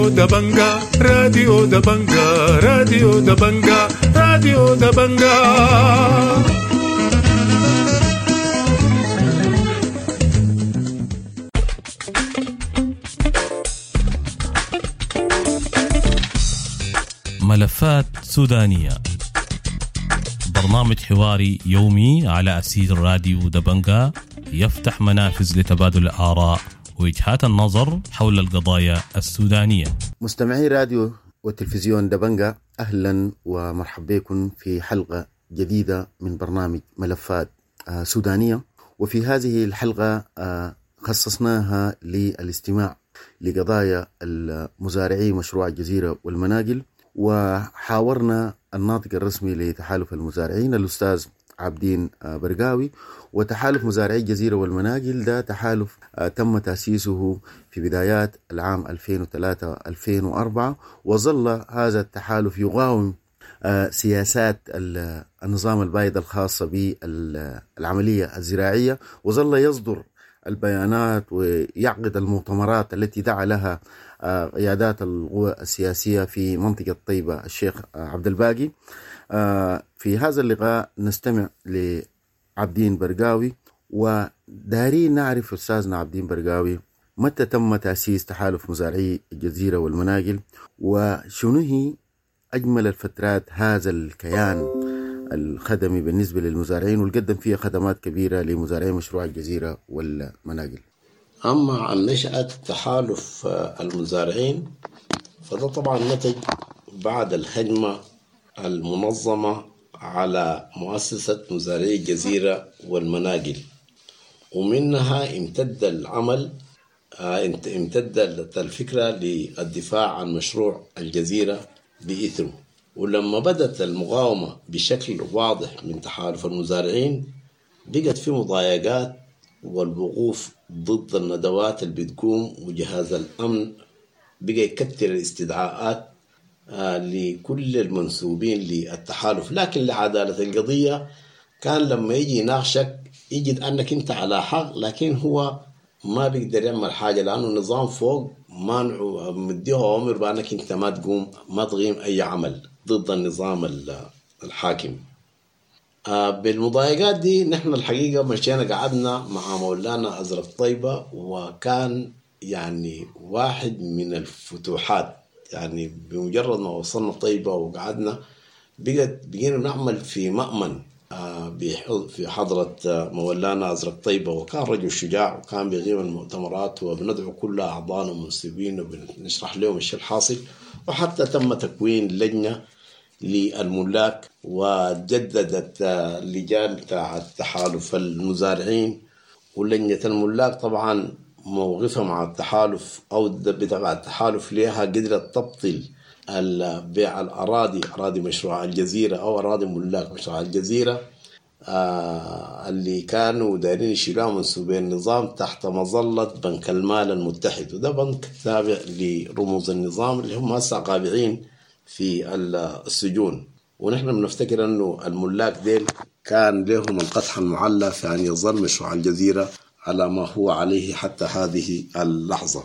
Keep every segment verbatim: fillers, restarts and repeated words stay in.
راديو دبنجا، راديو دبنجا، راديو دبنجا، راديو دبنجا. ملفات سودانية، برنامج حواري يومي على أثير راديو دبنجا، يفتح منافذ لتبادل الآراء ووجهات النظر حول القضايا السودانية. مستمعي راديو وتلفزيون دبنجا، أهلا ومرحبا بكم في حلقة جديدة من برنامج ملفات سودانية. وفي هذه الحلقة خصصناها للاستماع لقضايا المزارعي مشروع الجزيرة والمناقل، وحاورنا الناطق الرسمي لتحالف المزارعين الأستاذ عابدين برقاوي. وتحالف مزارعي الجزيرة والمناقل ده تحالف تم تأسيسه في بدايات العام ألفين وثلاثة ألفين وأربعة، وظل هذا التحالف يقاوم سياسات النظام البايد الخاصة بالعملية الزراعية، وظل يصدر البيانات ويعقد المؤتمرات التي دعا لها قيادات القوى السياسية في منطقة طيبة الشيخ عبد الباقي. في هذا اللقاء نستمع لعابدين برقاوي، ودارين نعرف أستاذنا عابدين برقاوي متى تم تأسيس تحالف مزارعي الجزيرة والمناقل، وشنو هي أجمل الفترات هذا الكيان الخدمي بالنسبة للمزارعين والقدم فيها خدمات كبيرة لمزارعي مشروع الجزيرة والمناقل. أما عن نشأة تحالف المزارعين فده طبعا نتج بعد الهجمة المنظمة على مؤسسة مزارعي الجزيرة والمناقل، ومنها امتد العمل امتدت الفكرة للدفاع عن مشروع الجزيرة بإثره. ولما بدت المقاومة بشكل واضح من تحالف المزارعين بقت في مضايقات والوقوف ضد الندوات اللي بتقوم، وجهاز الأمن بقى يكتر الاستدعاءات لكل المنسوبين للتحالف. لكن لعدالة القضية كان لما يجي يناقشك يجد أنك أنت على حق، لكن هو ما بيقدر يعمل حاجة لأنه النظام فوق مانعه مديه أمر بأنك أنت ما تقوم ما تقيم أي عمل ضد النظام الحاكم. بالمضايقات دي نحن الحقيقة مشينا قعدنا مع مولانا أزرق طيبة، وكان يعني واحد من الفتوحات. يعني بمجرد ما وصلنا طيبة وقعدنا بقت بقينا نعمل في مأمن في حضرة مولانا أزرق طيبة، وكان رجل شجاع وكان بيغيب المؤتمرات، وبندعو كل أعضائنا ومنسوبين وبنشرح لهم الشيء الحاصل. وحتى تم تكوين لجنة للملاك وجددت لجان بتاع التحالف المزارعين. ولجنة الملاك طبعا موقفها مع التحالف أو بتاع التحالف ليها قدرت تبطل بيع الأراضي، أراضي مشروع الجزيرة أو أراضي ملاك مشروع الجزيرة آه اللي كانوا دايرين يشيلوها منسوبين النظام تحت مظلة بنك المال المتحد، وده بنك تابع لرموز النظام اللي هم هسه قابعين في السجون. ونحن بنفتكر أنه الملاك ديل كان لهم القدح المعلى في أن يظل مشروع الجزيرة على ما هو عليه حتى هذه اللحظة.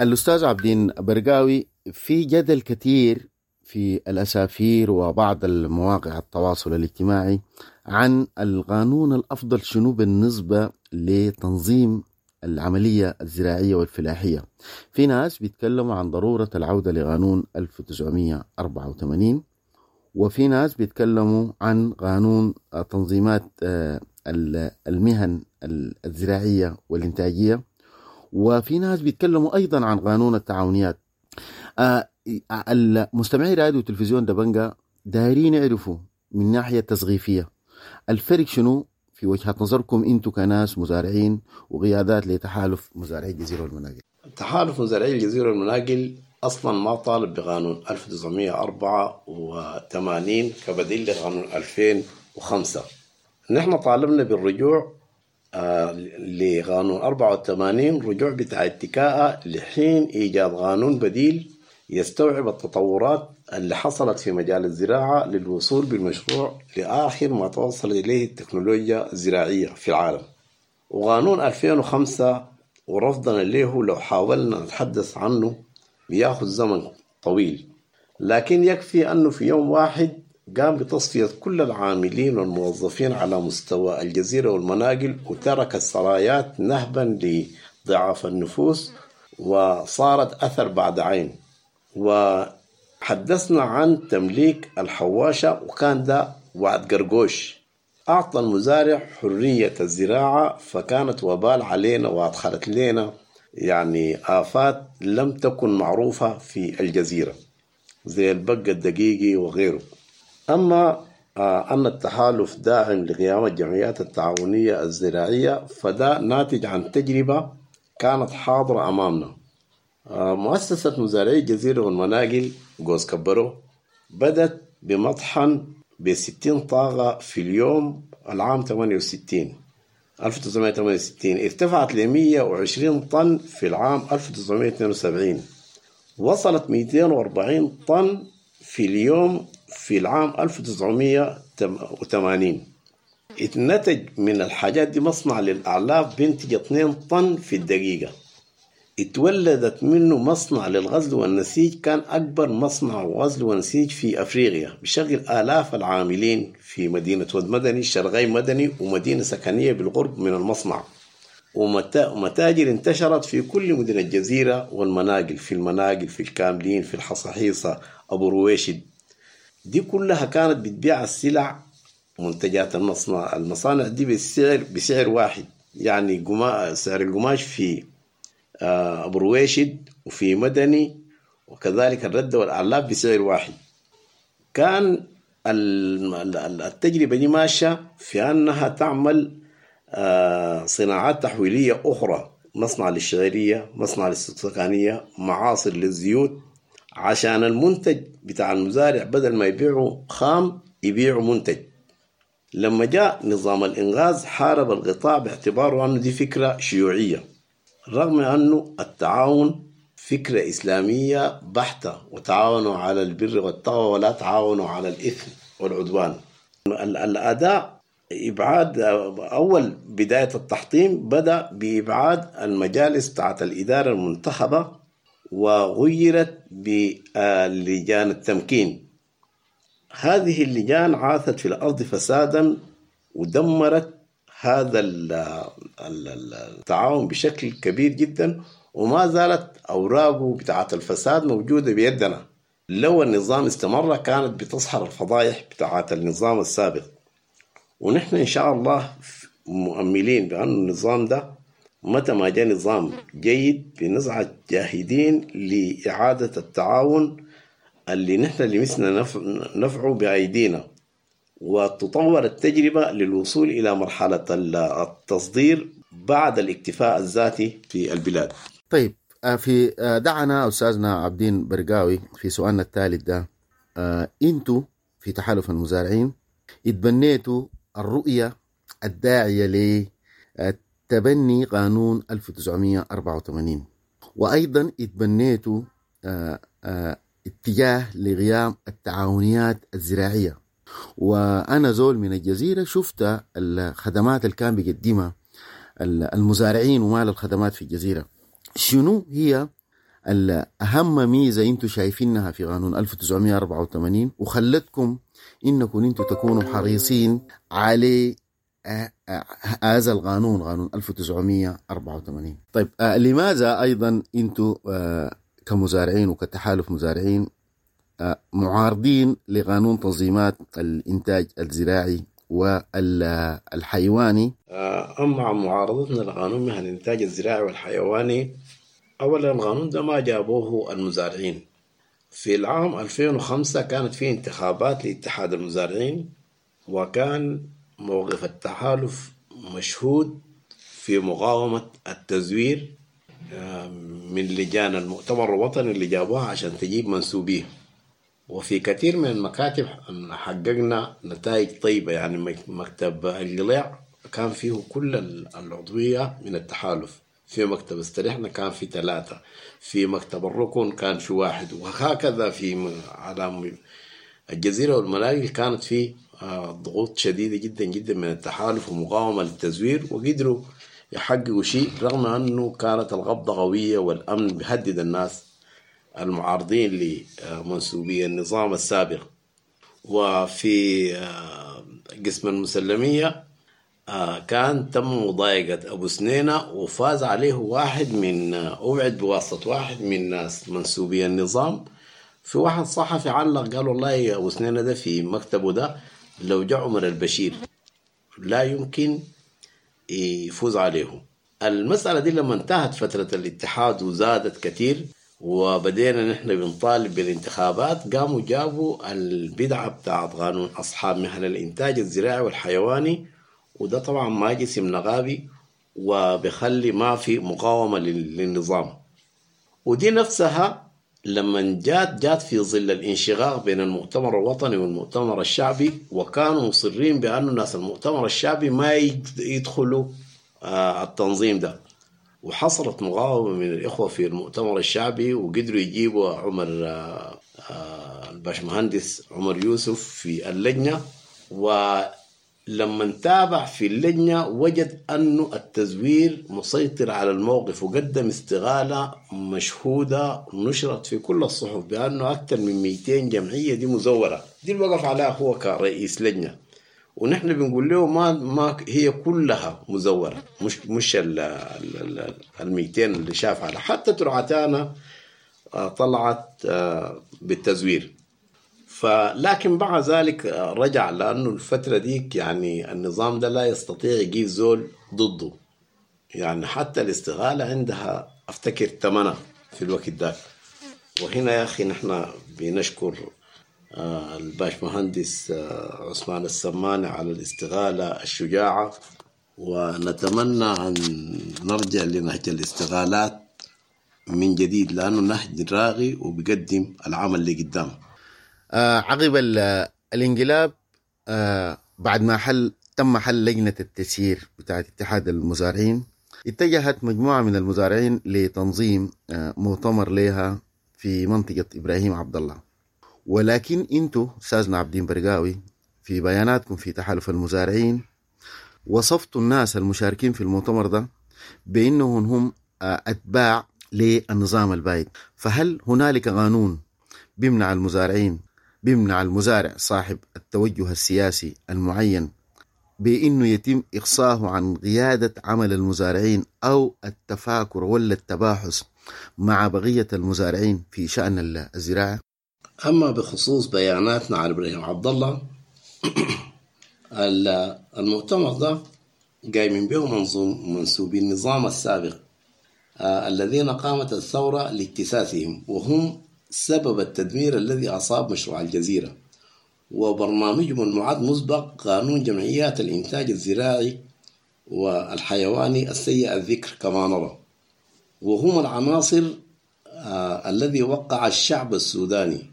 الأستاذ عابدين برقاوي، في جدل كثير في الأسافير وبعض المواقع التواصل الاجتماعي عن القانون الأفضل شنو بالنسبة لتنظيم العملية الزراعية والفلاحية. في ناس بيتكلموا عن ضرورة العودة لقانون ألف وتسعمية وأربعة وثمانين، وفي ناس بيتكلموا عن قانون تنظيمات المهن الزراعية والإنتاجية، وفي ناس بيتكلموا أيضا عن قانون التعاونيات. المستمعي راديو وتلفزيون دبنجا دايرين يعرفوا من ناحية تسقيفية الفرق شنو في وجهة نظركم انتو كناس مزارعين وقيادات لتحالف مزارعي الجزيرة والمناقل. تحالف مزارعي الجزيرة والمناقل أصلا ما طالب بقانون ألف وتسعمية وأربعة وثمانين كبديل لقانون ألفين وخمسة. نحن طالبنا بالرجوع آه لقانون أربعة وثمانين، رجوع بتاع اتكاء لحين إيجاد قانون بديل يستوعب التطورات اللي حصلت في مجال الزراعة للوصول بالمشروع لآخر ما توصل إليه التكنولوجيا الزراعية في العالم. وقانون ألفين وخمسة ورفضنا له لو حاولنا نتحدث عنه بياخذ زمن طويل، لكن يكفي أنه في يوم واحد قام بتصفية كل العاملين والموظفين على مستوى الجزيرة والمناقل، وترك السرايات نهبا لضعاف النفوس، وصارت أثر بعد عين. وحدثنا عن تمليك الحواشة، وكان ده وعد قرقوش، أعطى المزارع حرية الزراعة، فكانت وبال علينا وأدخلت لنا يعني آفات لم تكن معروفة في الجزيرة زي البق الدقيقي وغيره. أما أن التحالف داعم لقيام الجمعيات التعاونية الزراعية فده ناتج عن تجربة كانت حاضرة أمامنا. مؤسسة مزارعي الجزيرة والمناقل جوز كبرو بدت بمطحن بستين طاقة في اليوم العام ثمانية وستين ألف وتسعمائة وثمانية وستين، ارتفعت ل مئة وعشرين طن في العام ألف وتسعمائة واثنين وسبعين، وصلت مئتين وأربعين طن في اليوم في العام ألف وتسعمائة وثمانين. اتنتج من الحاجات دي مصنع للأعلاف بينتج اثنين طن في الدقيقة. اتولدت منه مصنع للغزل والنسيج، كان أكبر مصنع غزل ونسيج في أفريقيا، بشغل آلاف العاملين في مدينة ود مدني، شرغي مدني، ومدينة سكنية بالقرب من المصنع. ومتاجر انتشرت في كل مدن الجزيرة والمناقل، في المناقل، في الكاملين، في الحصاحيصة، أبو رويشد، دي كلها كانت بتبيع السلع منتجات المصنع المصانع دي بالسعر بسعر واحد، يعني سعر القماش في أبو رويشد وفي مدني وكذلك الردة والأعلاف بسعر واحد. كان التجربة دي ماشية في أنها تعمل صناعات تحويلية أخرى، مصنع للشعيرية، مصنع للسكانية، معاصر للزيوت، عشان المنتج بتاع المزارع بدل ما يبيعه خام يبيعه منتج. لما جاء نظام الإنغاز حارب القطاع باعتباره أنه دي فكرة شيوعية، رغم أنه التعاون فكرة إسلامية بحتة، وتعاونوا على البر والتقوى ولا تعاونوا على الإثم والعدوان. الأداء إبعاد أول بداية التحطيم بدأ بإبعاد المجالس بتاعت الإدارة المنتخبة وغيرت بلجان التمكين. هذه اللجان عاثت في الأرض فسادا ودمرت هذا التعاون بشكل كبير جدا، وما زالت أوراقه بتاعت الفساد موجودة بيدنا. لو النظام استمر كانت بتظهر الفضائح بتاعت النظام السابق، ونحن إن شاء الله مؤملين بأن النظام ده متى ما جاء نظام جيد بنزعة جاهدين لإعادة التعاون اللي نحن لمسنا نفعه بأيدينا، وتطور التجربة للوصول إلى مرحلة التصدير بعد الاكتفاء الذاتي في البلاد. طيب، في دعنا أستاذنا عابدين برقاوي في سؤالنا الثالث ده، أنتوا في تحالف المزارعين اتبنيتوا الرؤية الداعية لتبني قانون ألف وتسعمائة وأربعة وثمانين، وأيضا اتبنيتوا اتجاه لقيام التعاونيات الزراعية. وأنا زول من الجزيرة شفت الخدمات اللي كان بيقدمها المزارعين ومال الخدمات في الجزيرة. شنو هي الأهم ميزة أنتوا شايفينها في قانون ألف وتسعمائة وأربعة وثمانين وخلتكم إنكم أنتوا تكونوا حريصين على هذا القانون، قانون ألف وتسعمائة وأربعة وثمانين؟ طيب، لماذا أيضا أنتوا كمزارعين وكتحالف مزارعين معارضين لقانون تنظيمات الإنتاج الزراعي والحيواني؟ أما عن معارضتنا لقانون مهن الإنتاج الزراعي والحيواني، أولا القانون ده ما جابوه المزارعين. في العام ألفين وخمسة كانت في انتخابات لاتحاد المزارعين، وكان موقف التحالف مشهود في مقاومة التزوير من لجان المؤتمر الوطني اللي جابوها عشان تجيب منسوبيه. وفي كثير من المكاتب حققنا نتائج طيبة، يعني مكتب القلاع كان فيه كل العضوية من التحالف، في مكتب استريحنا كان في ثلاثة، في مكتب الركن كان في واحد، وهكذا في على الجزيرة والمناقل كانت في ضغوط شديدة جدا جدا من التحالف ومقاومة للتزوير، وقدروا يحققوا شيء رغم أنه كانت القبضة قوية والأمن بيهدد الناس. المعارضين لمنسوبي النظام السابق. وفي آه، قسم المسلمية آه، كان تم مضايقة أبو سنينة وفاز عليه واحد من آه، أبعد بواسطة واحد من ناس منسوبي النظام. في واحد صحفي علق قال والله يا أبو سنينة ده في مكتبه ده لو جاء عمر البشير لا يمكن يفوز عليه. المسألة دي لما انتهت فترة الاتحاد وزادت كثير وبدينا نحن بنطالب بالانتخابات، قاموا جابوا البدعة بتاعت قانون أصحاب مهن الإنتاج الزراعي والحيواني، وده طبعا ما جسم نقابي وبخلي ما في مقاومة لل- للنظام. ودي نفسها لما جات جات في ظل الانشقاق بين المؤتمر الوطني والمؤتمر الشعبي، وكانوا مصرين بأنه ناس المؤتمر الشعبي ما يد- يدخلوا، آه، التنظيم ده. وحصلت مقاومة من الإخوة في المؤتمر الشعبي وقدروا يجيبوا عمر، آه، آه، الباشمهندس عمر يوسف في اللجنة. ولما تابع في اللجنة وجد أنه التزوير مسيطر على الموقف، وقدم استغالة مشهودة نشرت في كل الصحف بأنه أكثر من مئتين جمعية دي مزورة، دي اللي وقف عليها هو كرئيس لجنة. ونحن بنقول له ما، ما هي كلها مزورة، مش، مش ال، ال، ال، المئتين اللي شاف عليها، حتى ترعتانا، آه، طلعت، آه، بالتزوير. فلكن بعد ذلك، آه، رجع، لأنه الفترة ديك يعني النظام ده لا يستطيع يجيب زول ضده، يعني حتى الاستغالة عندها أفتكر ثمنها في الوقت ده. وهنا يا أخي نحن بنشكر، آه، الباشمهندس، آه، عثمان السماني على الاستغالة الشجاعة، ونتمنى أن نرجع لنهج الاستغالات من جديد، لأنه نهج راغي وبيقدم العمل اللي قدام. آه، عقب ال-، الانقلاب، آه، بعد ما حل، تم حل لجنة التسيير بتاعت اتحاد المزارعين، اتجهت مجموعة من المزارعين لتنظيم، آه، مؤتمر لها في منطقة إبراهيم عبد الله. ولكن انتو أستاذنا عابدين برقاوي في بياناتكم في تحالف المزارعين وصفتوا الناس المشاركين في المؤتمر ده بأنهم هم، آه، أتباع للنظام البايد. فهل هنالك قانون بيمنع المزارعين، بيمنع المزارع صاحب التوجه السياسي المعين بأنه يتم إقصاه عن قيادة عمل المزارعين أو التفاكر ولا التباحث مع بقية المزارعين في شأن ال-، الزراعة؟ أما بخصوص بياناتنا على إبراهيم عبد الله، ال-، المؤتمر ده قايمين به منظوم-، منسوبي النظام السابق، آه، الذين قامت الثورة لاجتثاثهم، وهم سبب التدمير الذي أصاب مشروع الجزيرة وبرنامجهم المعد مسبق قانون جمعيات الإنتاج الزراعي والحيواني السيء الذكر كما نرى، وهم العناصر، آه، الذي وقع الشعب السوداني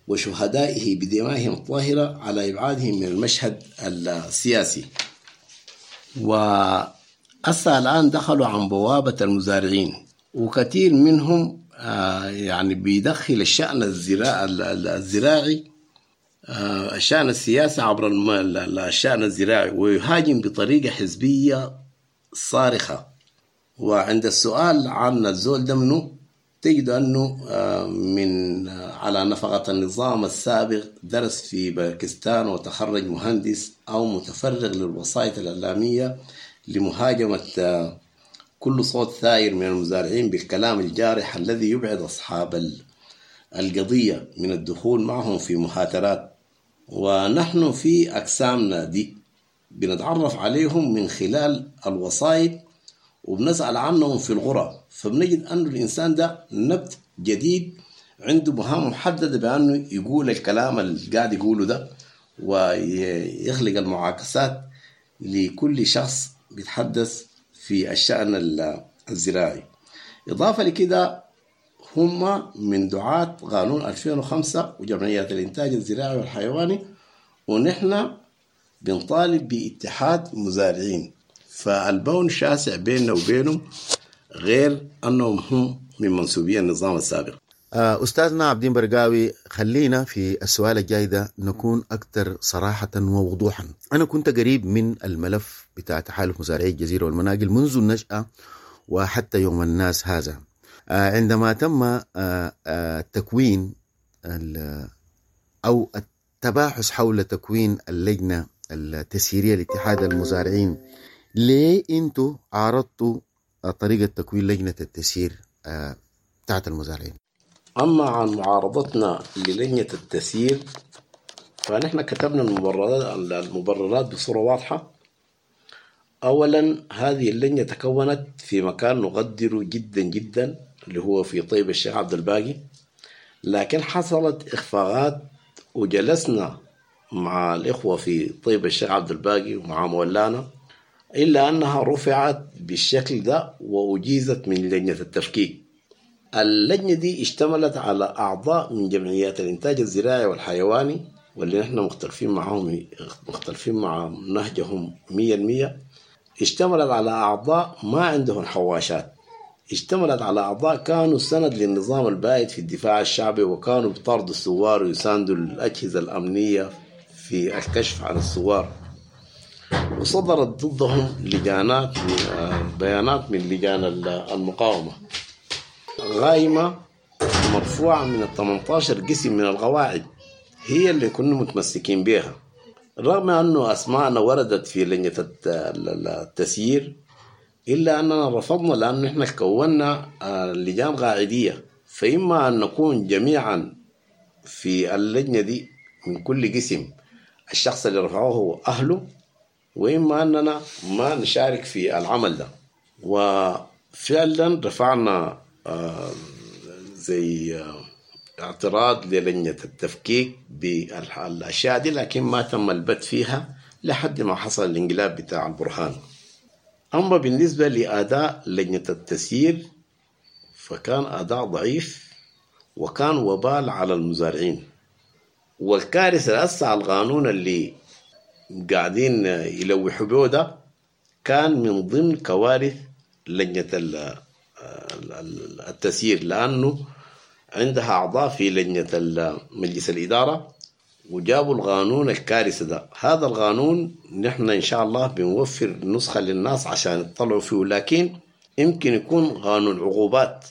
وشهدائه بدمائهم الطاهرة على إبعادهم من المشهد السياسي. وأسا الآن دخلوا عن بوابة المزارعين، وكثير منهم، آه، يعني بيدخل الشأن الزراع-، ال-، ال-، الزراعي، آه، الشأن السياسي عبر الم-، ال-، ال-، الشأن الزراعي، ويهاجم بطريقة حزبية صارخة. وعند السؤال عن الزول ده منه تجد أنه، آه، من، آه، على نفقة النظام السابق درس في باكستان وتخرج مهندس أو متفرغ للوسائط الإعلامية لمهاجمة، آه، كل صوت ثائر من المزارعين بالكلام الجارح الذي يبعد أصحاب ال-، القضية من الدخول معهم في مهاترات. ونحن في أقسامنا دي بنتعرف عليهم من خلال الوسائط وبنسأل عنهم في الغرف، فبنجد أن الإنسان ده نبت جديد عنده مهام محددة بأنه يقول الكلام اللي قاعد يقوله ده ويخلق المعاكسات لكل شخص بيتحدث في الشأن ال-، الزراعي. إضافة لكده هم من دعاة قانون ألفين وخمسة وجمعيات الإنتاج الزراعي والحيواني، ونحن بنطالب باتحاد مزارعين، فالبون شاسع بيننا وبينهم غير أنهم هم من منسوبي النظام السابق. آه، أستاذنا عابدين برقاوي، خلينا في السؤال الجاي ده نكون أكثر صراحة ووضوحا. أنا كنت قريب من الملف بتاع تحالف مزارعي الجزيرة والمناقل منذ النشأة وحتى يوم الناس هذا. عندما تم تكوين أو التباحث حول تكوين اللجنة التسييرية لاتحاد المزارعين، ليه أنتوا عارضتوا طريقة تكوين لجنة التسيير بتاعت المزارعين؟ أما عن معارضتنا للجنة التسيير فنحن كتبنا المبررات, المبررات بصورة واضحة. أولا هذه اللجنة تكونت في مكان نقدره جدا جدا اللي هو في طيب الشيخ عبد الباقي، لكن حصلت إخفاقات وجلسنا مع الإخوة في طيب الشيخ عبد الباقي ومع مولانا، إلا أنها رفعت بالشكل ده وأجيزت من لجنة التفكيك. اللجنة دي اشتملت على أعضاء من جمعيات الإنتاج الزراعي والحيواني واللي نحن مختلفين معهم، مختلفين مع نهجهم مية المية. اشتملت على أعضاء ما عندهم حواشات، اشتملت على أعضاء كانوا سند للنظام البائد في الدفاع الشعبي وكانوا بطردوا الثوار ويساندوا الأجهزة الأمنية في الكشف عن الثوار، وصدرت ضدهم لجانات بيانات من لجان المقاومة غايمة مرفوعة من الثمانية عشر قسم من القواعد هي اللي كنا متمسكين بها، رغم أنه أسماءنا وردت في لجنة التسيير إلا أننا رفضنا، لأنه إحنا كونا لجان قاعدية، فإما أن نكون جميعا في اللجنة دي من كل قسم الشخص اللي رفعوه أهله، وإما أننا ما نشارك في العمل ده. وفعلا رفعنا زي اعتراض للجنة التفكيك بالأشياء دي، لكن ما تم البت فيها لحد ما حصل الانقلاب بتاع البرهان. أما بالنسبة لأداء لجنة التسيير فكان أداء ضعيف وكان وبال على المزارعين، والكارثة هسه القانون اللي قاعدين يلوحوا به ده كان من ضمن كوارث لجنة التسيير، لأنه عندها أعضاء في لجنة مجلس الإدارة وجابوا القانون الكارثة ده. هذا القانون نحن إن شاء الله بنوفر نسخة للناس عشان يطلعوا فيه، لكن يمكن يكون قانون عقوبات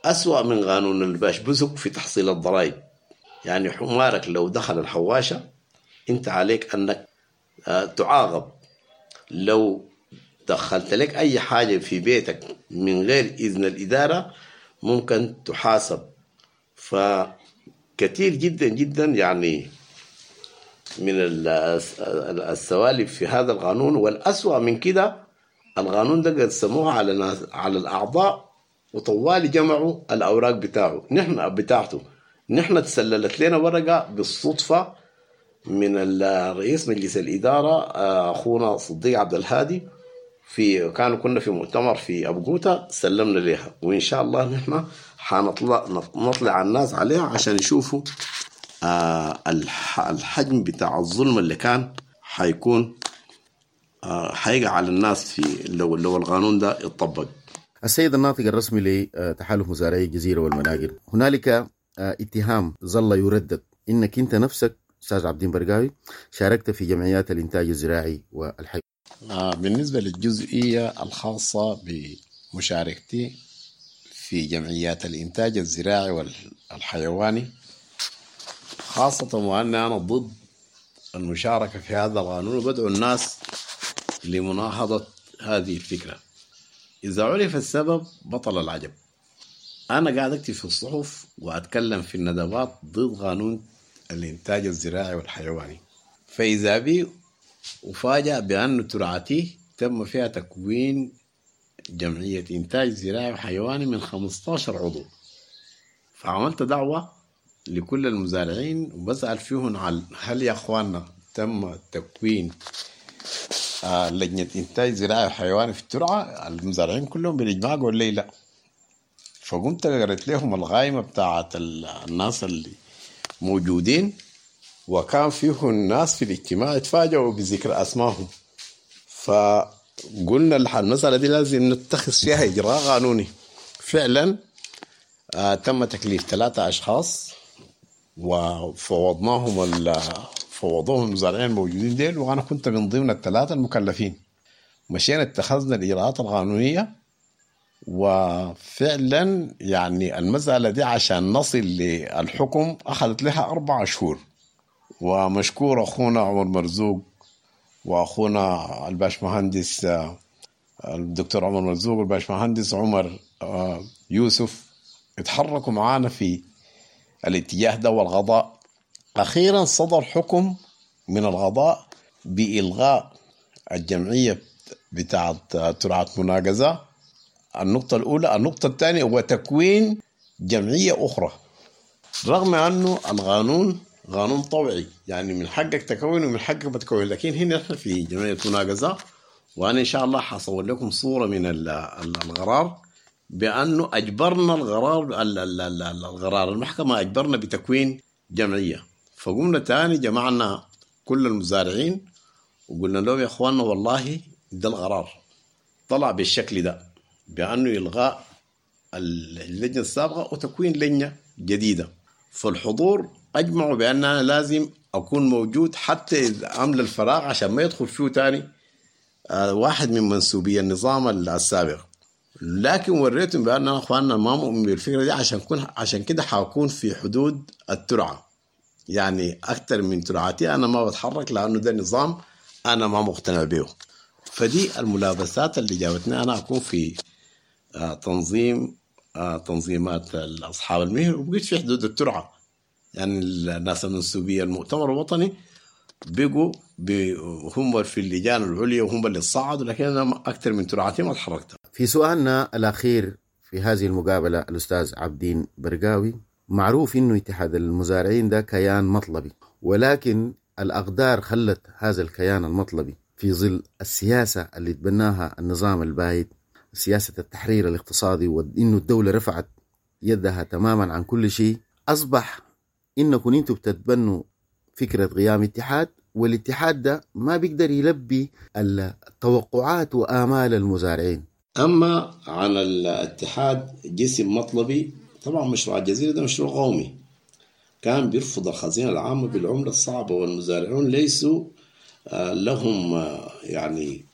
أسوأ من قانون الباشبوزق في تحصيل الضرائب. يعني حمارك لو دخل الحواشة أنت عليك أنك تعاقب، لو دخلت لك أي حاجة في بيتك من غير إذن الإدارة ممكن تحاسب. فكثير جدا جدا يعني من السوالف في هذا القانون. والأسوأ من كده القانون ده قسموه على ناس، على الأعضاء، وطوال جمعوا الأوراق بتاعه نحن بتاعته. نحن تسللت لنا ورقة بالصدفة من الرئيس مجلس الإدارة أخونا صديق عبد الهادي، في كانوا كنا في مؤتمر في أبو قوتة، سلمنا لها، وإن شاء الله نحن حنطلع نطلع الناس عليها عشان يشوفوا آه الحجم بتاع الظلم اللي كان حيكون آه حيقع على الناس في لو لو القانون ده اتطبق. السيد الناطق الرسمي لتحالف مزارعي الجزيرة والمناقل، هنالك اتهام ظل يردد انك انت نفسك استاذ عابدين برقاوي شاركت في جمعيات الانتاج الزراعي والحي. آه بالنسبة للجزئية الخاصة بمشاركتي في جمعيات الإنتاج الزراعي والحيواني، خاصة وأن أنا ضد المشاركة في هذا القانون وبدعو الناس لمناهضة هذه الفكرة. إذا عرف السبب بطل العجب. أنا قاعد أكتب في الصحف وأتكلم في الندوات ضد قانون الإنتاج الزراعي والحيواني، فإذا بي أفاجأ بأن ترعتي تم فيها تكوين جمعية إنتاج زراعي وحيواني من خمسة عشر عضو. فعملت دعوة لكل المزارعين وبسأل فيهم على هل يا أخواننا تم تكوين آه لجنة إنتاج زراعي وحيواني في الترعة؟ المزارعين كلهم بالإجماع قالوا لي لا. فقمت قريت لهم الغايمة بتاعت الناس اللي موجودين، وكان فيه الناس في الاجتماع اتفاجئوا بذكر أسمائهم. فقلنا المسألة دي لازم نتخذ فيها إجراء قانوني. فعلا آه تم تكليف ثلاثة أشخاص وفوضناهم فوضوهم المزارعين الموجودين ديل، وأنا كنت من ضمن الثلاثة المكلفين. مشينا اتخذنا الإجراءات القانونية وفعلا يعني المسألة دي عشان نصل للحكم أخذت لها أربعة شهور. ومشكور أخونا عمر مرزوق وأخونا الباشمهندس الدكتور عمر مرزوق والباشمهندس عمر يوسف، اتحركوا معانا في الاتجاه ده والقضاء. أخيرا صدر حكم من القضاء بإلغاء الجمعية بتاعت ترعة مناقزة، النقطة الأولى. النقطة الثانية هو تكوين جمعية أخرى، رغم أنه القانون قانون طوعي، يعني من حقك تكون ومن حقك ما تكون، لكن هنا نحن في جمعية مناقزة، وأنا إن شاء الله حصور لكم صورة من القرار بأنه أجبرنا القرار، القرار المحكمة أجبرنا بتكوين جمعية. فقمنا تاني جمعنا كل المزارعين وقلنا لهم يا إخواننا والله ده القرار طلع بالشكل ده، بأنه إلغاء اللجنة السابقة وتكوين لجنة جديدة. فالحضور أجمعوا بأن أنا لازم أكون موجود حتى إذا أملى الفراغ عشان ما يدخل فيه تاني واحد من منسوبي النظام السابق. لكن وريتهم بأن أنا أخواننا ما مؤمن بالفكرة دي، عشان كون عشان كده حأكون في حدود الترعة، يعني أكثر من ترعتي أنا ما بتحرك، لأنه ده نظام أنا ما مقتنع به. فدي الملابسات اللي جابتني أنا أكون في تنظيم تنظيمات أصحاب المهن، وبقيت في حدود الترعة. يعني الناس المنسوبية المؤتمر الوطني بقوا هم في اللجان العليا وهم اللي صعدوا، لكن أنا أكثر من ترعتي ما تحركت. في سؤالنا الأخير في هذه المقابلة الأستاذ عابدين برقاوي، معروف إنه اتحاد المزارعين ده كيان مطلبي، ولكن الأقدار خلت هذا الكيان المطلبي في ظل السياسة اللي تبناها النظام البايد، سياسة التحرير الاقتصادي، وإنه الدولة رفعت يدها تماما عن كل شيء، أصبح إنكم أنتم بتتبنوا فكرة قيام اتحاد، والاتحاد ده ما بيقدر يلبي التوقعات وآمال المزارعين. أما عن الاتحاد جسم مطلبي، طبعا مشروع الجزيرة ده مشروع قومي كان بيرفض الخزينة العامة بالعملة الصعبة، والمزارعون ليسوا لهم يعني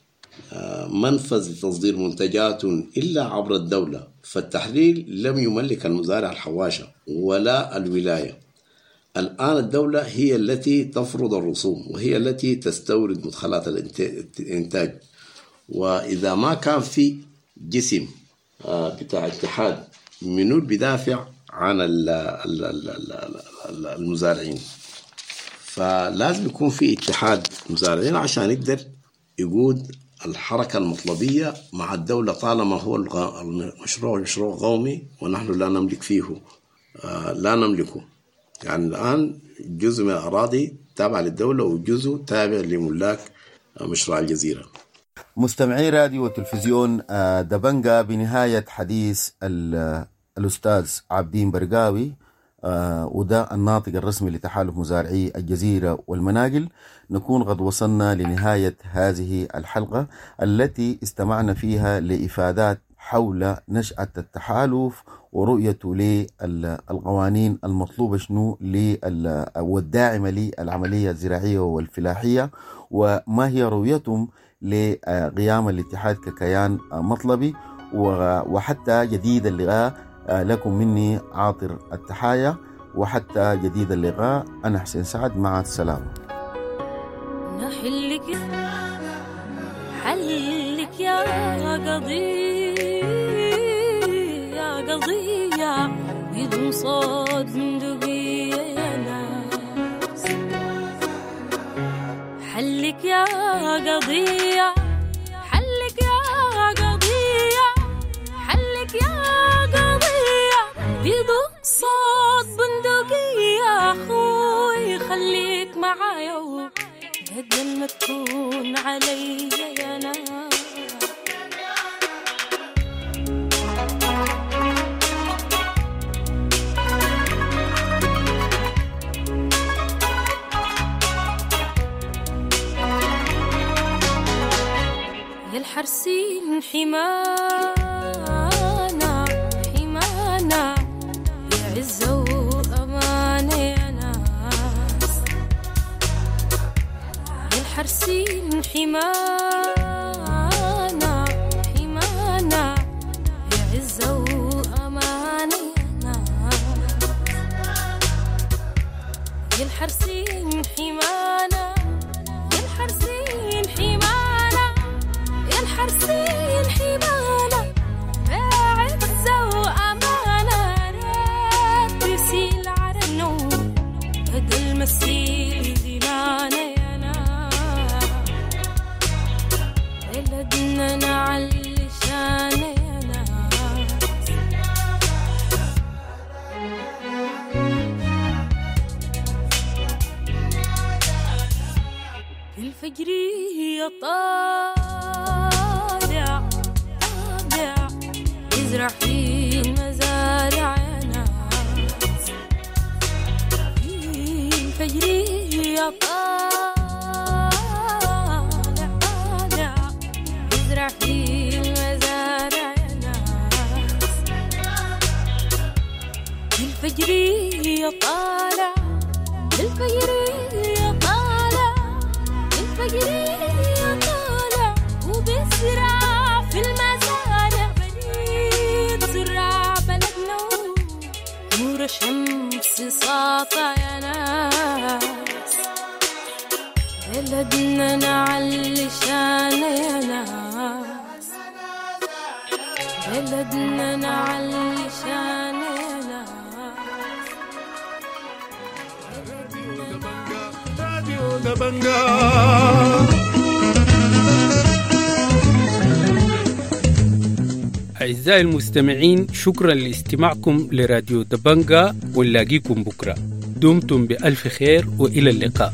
منفذ لتصدير منتجات إلا عبر الدولة. فالتحليل لم يملك المزارع الحواشة ولا الولاية. الآن الدولة هي التي تفرض الرسوم وهي التي تستورد مدخلات الإنتاج، وإذا ما كان في جسم بتاع اتحاد منو بدافع عن المزارعين، فلازم يكون في اتحاد مزارعين عشان يقدر يقود الحركة المطلبية مع الدولة، طالما هو المشروع مشروع قومي ونحن لا نملك فيه، لا نملكه. يعني الآن جزء من الأراضي تابع للدولة وجزء تابع لملاك مشروع الجزيرة. مستمعي راديو وتلفزيون دبنجا، بنهاية حديث الأستاذ عابدين برقاوي، وده الناطق الرسمي لتحالف مزارعي الجزيرة والمناقل، نكون قد وصلنا لنهاية هذه الحلقة التي استمعنا فيها لإفادات حول نشأة التحالف ورؤيته للقوانين المطلوبة شنو والداعمة للعملية الزراعية والفلاحية، وما هي رؤيتهم لقيام الاتحاد ككيان مطلبي. وحتى جديد اللقاء، لكم مني عاطر التحايا، وحتى جديد اللقاء أنا حسين سعد، مع السلامة. نحلك حلك يا قضية قضية بدون صوت بندقية يا ناس، حلك يا قضية، حلك يا قضية، حلك يا قضية بدون صوت بندقية. أخوي خليك معايا بدل ما تكون علي يا ناس. يا الحرسين حمانا حمانا، يا عزة وأمانة يا ناس، يا الحرسين حمانا حمانا، يا يزرع في المزارع يا ناس. الفجر يا طالع طالع يزرع في المزارع يا ناس. الفجر يا طالع، الفجر يا طالع، الفجر يا طالع، وبسرع في المزارع بليد زرع بلدنا نور الشمس ساطع يا ناس. بلدنا نعلي شان يا ناس، بلدنا نعلي شان يا ناس. راديو دبنجا. أعزائي المستمعين، شكرا لاستماعكم لراديو دبنجا، ونلاقيكم بكرة. دمتم بألف خير وإلى اللقاء.